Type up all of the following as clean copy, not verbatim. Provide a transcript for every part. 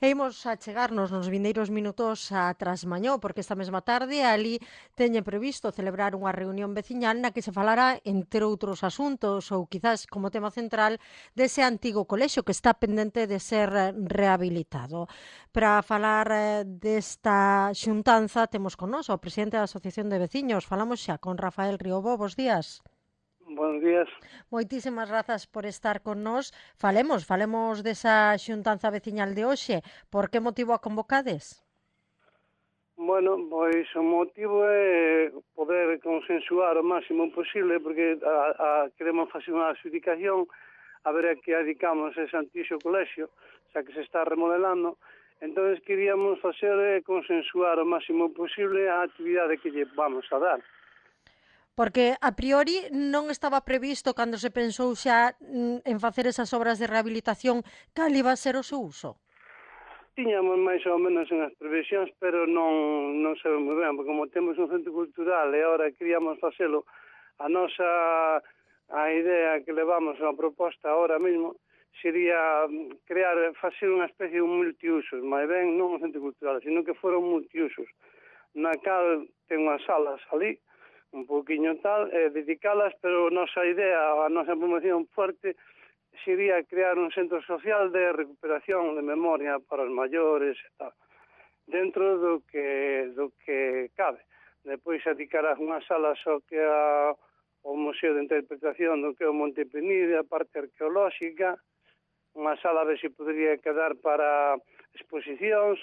E imos a chegarnos nos vindeiros minutos a Trasmañó, porque esta mesma tarde ali teñen previsto celebrar unha reunión veciñal na que se falará, entre outros asuntos, ou quizás como tema central, dese antigo colexio que está pendente de ser rehabilitado. Para falar desta xuntanza temos con nós o presidente da Asociación de Veciños. Falamos xa con Rafael Riobó. Bos días. Buenos días. Moitísimas grazas por estar con nós. Falemos desa xuntanza veciñal de hoxe. Por que motivo a convocades? Bueno, pois o motivo é poder consensuar o máximo posible porque queremos facer unha adjudicación a ver a que adicamos ese antigo colexio, xa que se está remodelando. Entón, queríamos facer consensuar o máximo posible a actividade que lle vamos a dar. Porque a priori non estaba previsto cando se pensou xa en facer esas obras de rehabilitación cal iba a ser o seu uso. Tiñamos máis ou menos unhas previsións, pero non sabemos ben, porque como temos un centro cultural e agora queríamos facelo, a idea que levamos a proposta ahora mesmo sería facer unha especie de multiusos, máis ben non un centro cultural, sino que fora un multiusos, na cal ten unhas salas ali, un pouquiño tal, dedicalas, pero a nosa idea, a nosa promoción fuerte sería crear un centro social de recuperación de memoria para os maiores e tal, dentro do que cabe. Depois dedicará unha sala só que o Museo de Interpretación do que é o Monte Penide, a parte arqueolóxica, unha sala a ver se podría quedar para exposicións,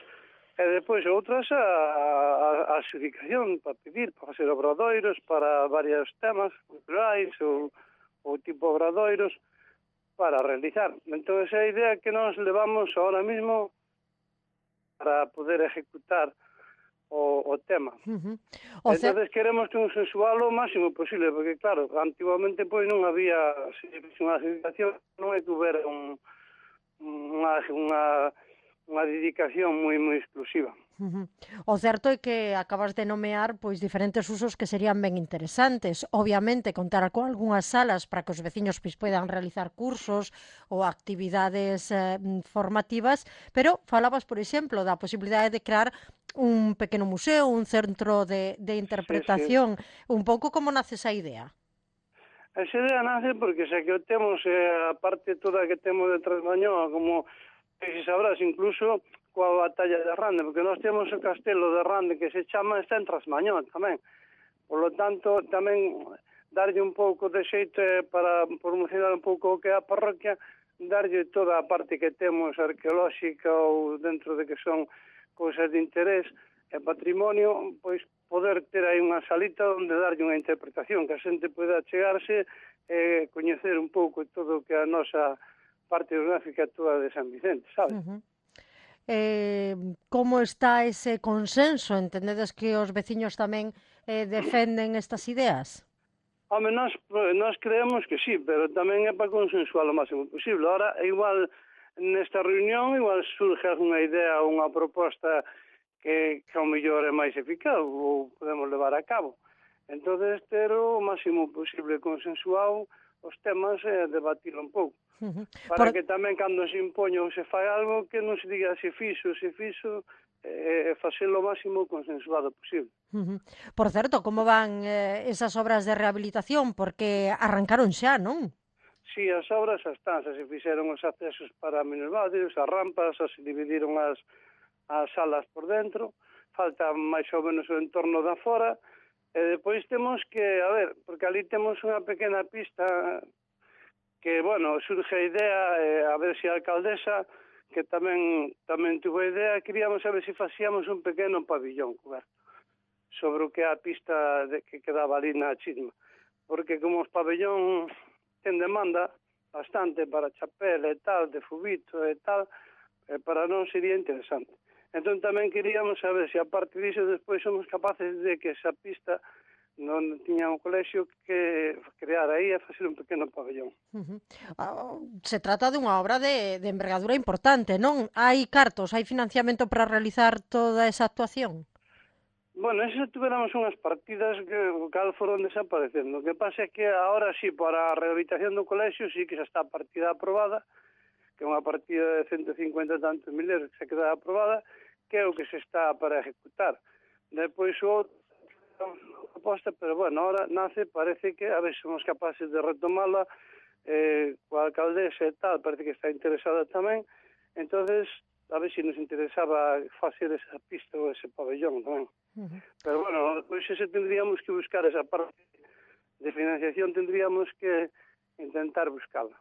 e depois outras a adjudicación para pedir, para facer obradoiros para varios temas culturais ou tipo obradoiros, para realizar. Entón, esa é a idea que nos levamos ahora mismo para poder ejecutar o tema. Entón, queremos consensualo o máximo posible, porque, claro, antiguamente pois non había unha adjudicación, non é que houbera unha dedicación moi exclusiva. O certo é que acabas de nomear pois diferentes usos que serían ben interesantes. Obviamente, contar con algunhas salas para que os veciños pois poidan realizar cursos ou actividades formativas, pero falabas, por exemplo, da posibilidade de crear un pequeno museo, un centro de interpretación. Sí. Un pouco como nace esa idea? Esa idea nace porque xa que o temos, a parte toda que temos de Trasmañoa, como se sabrás, incluso coa batalla de Rande, porque nós temos o castelo de Rande que se chama, está en Trasmañón tamén. Por lo tanto, tamén darlle un pouco de xeito para promocionar un pouco o que é a parroquia, darlle toda a parte que temos arqueolóxica ou dentro de que son cousas de interés e patrimonio, pois poder ter aí unha salita onde darlle unha interpretación, que a xente poida chegarse e coñecer un pouco todo o que é a nosa parte geográfica toda de San Vicente, sabes? Como está ese consenso? Entendedes que os veciños tamén defenden estas ideas? Home, nós creemos que sí, pero tamén é para consensuar o máximo posible. Ahora, igual, nesta reunión, igual surge unha idea ou unha proposta que ao mellor é máis eficaz ou podemos levar a cabo. Entón, ter o máximo posible consensuado os temas e debatilo un pouco. Para que tamén cando se impoña ou se fai algo que non se diga se fixo, facelo o máximo consensuado posible. Por certo, como van esas obras de rehabilitación? Porque arrancaron xa, non? Si, as obras xa están, xa se fixeron os accesos para minusválidos, as rampas, xa se dividiron as salas por dentro, falta máis ou menos o entorno da fora, e depois temos que, a ver, porque ali temos unha pequena pista que, bueno, surge a idea, a ver se a alcaldesa, que tamén tuvo a idea, queríamos saber se facíamos un pequeno pabillón coberto sobre o que é a pista que quedaba ali na chisma. Porque como os pabellón ten demanda bastante para chapela e tal, de fubito e tal, para non sería interesante. Entón tamén queríamos saber se a parte disso despois somos capaces de que esa pista non tiña un colexio que crear aí e facer un pequeno pabellón. Se trata dunha obra de envergadura importante, non? Hai cartos, hai financiamento para realizar toda esa actuación? Bueno, eso tuveramos unhas partidas que cal foron desaparecendo. O que pasa é que agora sí, para a rehabilitación do colexio sí que xa está a partida aprobada, que é unha partida de 150 e tantos mil euros que se queda aprobada, que é o que se está para ejecutar. Depois o outro proposta, pero bueno, ahora nace, parece que a ver se somos capaces de retomala, coa alcaldesa e tal, parece que está interesada tamén, entonces a ver se nos interesaba facer esa pista ou ese pabellón tamén. Pero bueno, pois ese tendríamos que buscar esa parte de financiación, tendríamos que intentar buscala.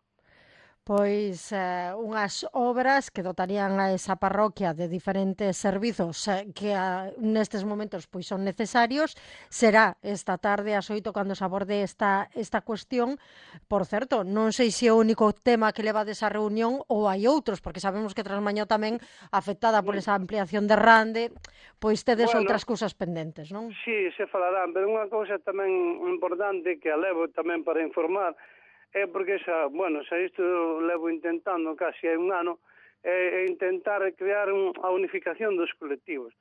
Pois unhas obras que dotarían a esa parroquia de diferentes servizos que nestes momentos pois son necesarios. Será esta tarde ás 8 cando se aborde esta cuestión. Por certo, non sei se é o único tema que levades á reunión ou hai outros, porque sabemos que Trasmañó tamén, afectada por esa ampliación de Rande, pois tedes outras cousas pendentes, non? Sí, se falarán, pero unha cousa tamén importante que a levo tamén para informar é porque xa isto levo intentando casi hai un ano, é intentar crear a unificación dos colectivos.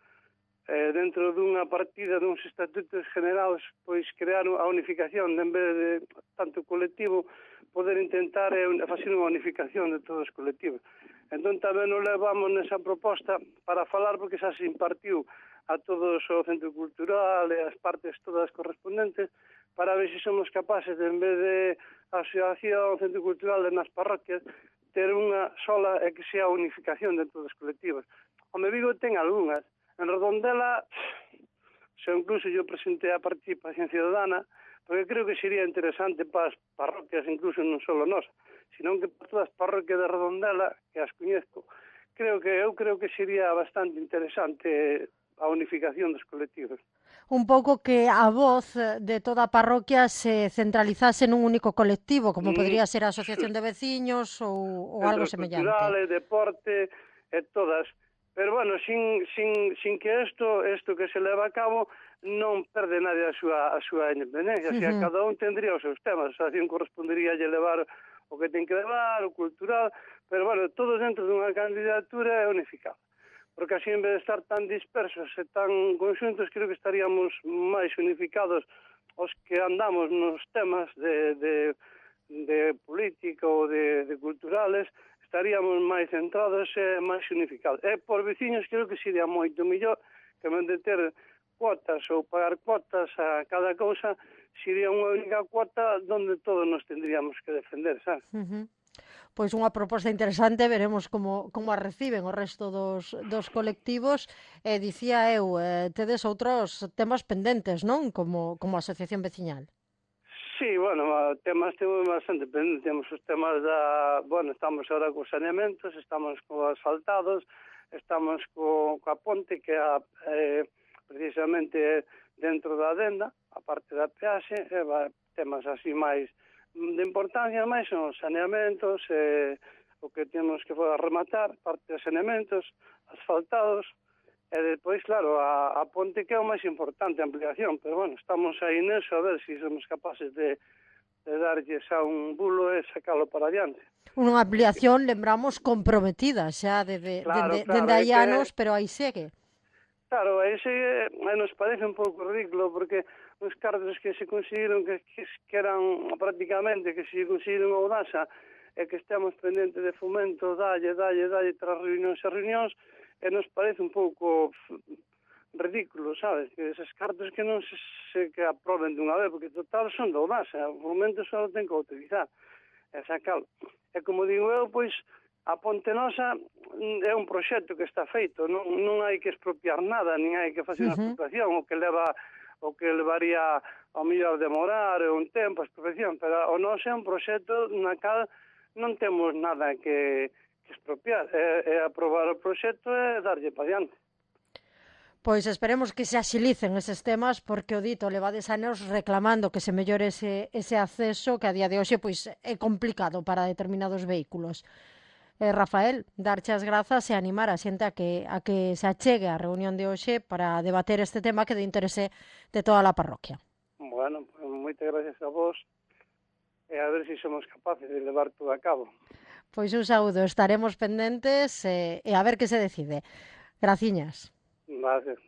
Dentro dunha partida duns estatutos generados, pois crear a unificación, en vez de tanto colectivo, poder intentar facer unha unificación de todos os colectivos. Entón tamén nos levamos nesa proposta para falar, porque xa se impartiu a todos o Centro Cultural e as partes todas correspondentes, para ver se somos capaces de, en vez de asociación, Centro Cultural e nas parroquias, ter unha sola e que sea a unificación de todos os colectivos. Home, Vigo ten algunhas. En Redondela, incluso eu presentei a participación ciudadana, porque creo que sería interesante para as parroquias, incluso non só nós, senón que para todas as parroquias de Redondela, que as coñezco, eu creo que sería bastante interesante a unificación dos colectivos. Un pouco que a voz de toda a parroquia se centralizase nun único colectivo, como podría ser a asociación de veciños ou algo semellante. Culturales, deporte, todas. Pero bueno, sin que isto que se leva a cabo non perde nadie a súa independencia. O sea, cada un tendría os seus temas. A asociación correspondería a levar o que ten que levar, o cultural, pero bueno, todos dentro dunha candidatura é unificado. Porque así, en vez de estar tan dispersos e tan conxuntos, creo que estaríamos máis unificados os que andamos nos temas de política ou de culturales, estaríamos máis centrados e máis unificados. E por veciños creo que sería moito mellor que en vez de ter cuotas ou pagar cuotas a cada cousa, sería unha única cuota onde todos nos tendríamos que defender, sabes? Pois unha proposta interesante, veremos como a reciben o resto dos colectivos. Dicía eu, tedes outros temas pendentes, non? Como asociación veciñal. Sí, bueno, temas temos bastante pendentes. Temos os temas estamos agora cos saneamentos, estamos cos asfaltados, estamos coa ponte que é precisamente dentro da adenda, a parte da peaxe, temas así máis de importancia, máis son os saneamentos, o que temos que rematar, parte dos saneamentos, asfaltados, e depois, claro, a ponte que é o máis importante, a ampliación, pero bueno, estamos aí neso a ver se somos capaces de darlles a un bulo e sacalo para adiante. Unha ampliación, lembramos, comprometida xa dende hai anos, pero aí segue. Claro, ese nos parece un pouco ridículo, porque os cartos que se conseguiron, que eran prácticamente, que se conseguiron a Audasa, e que estamos pendentes de fomento, dalle, tras reunións, e nos parece un pouco ridículo, sabes? Que eses cartos que non se que aproben dunha vez, porque total son da Audasa, o momento só ten que utilizar, e sacalo. E como digo eu, pois, a Ponte Nosa é un proxecto que está feito, non hai que expropiar nada, nin hai que facer unha expropiación, o que levaría ao mellor demorar un tempo a expropiación, pero o noso é un proxecto na cal non temos nada que expropiar, é aprobar o proxecto e darlle para diante. Pois esperemos que se axilicen eses temas, porque o dito levades anos reclamando que se mellore ese acceso que a día de hoxe pois é complicado para determinados vehículos. Rafael, darche as grazas e animar a xente a que se achegue á reunión de hoxe para debater este tema que de interese de toda a parroquia. Bueno, pues, moitas gracias a vos e a ver se somos capaces de levar todo a cabo. Pois un saúdo, estaremos pendentes e a ver que se decide. Graciñas. Gracias.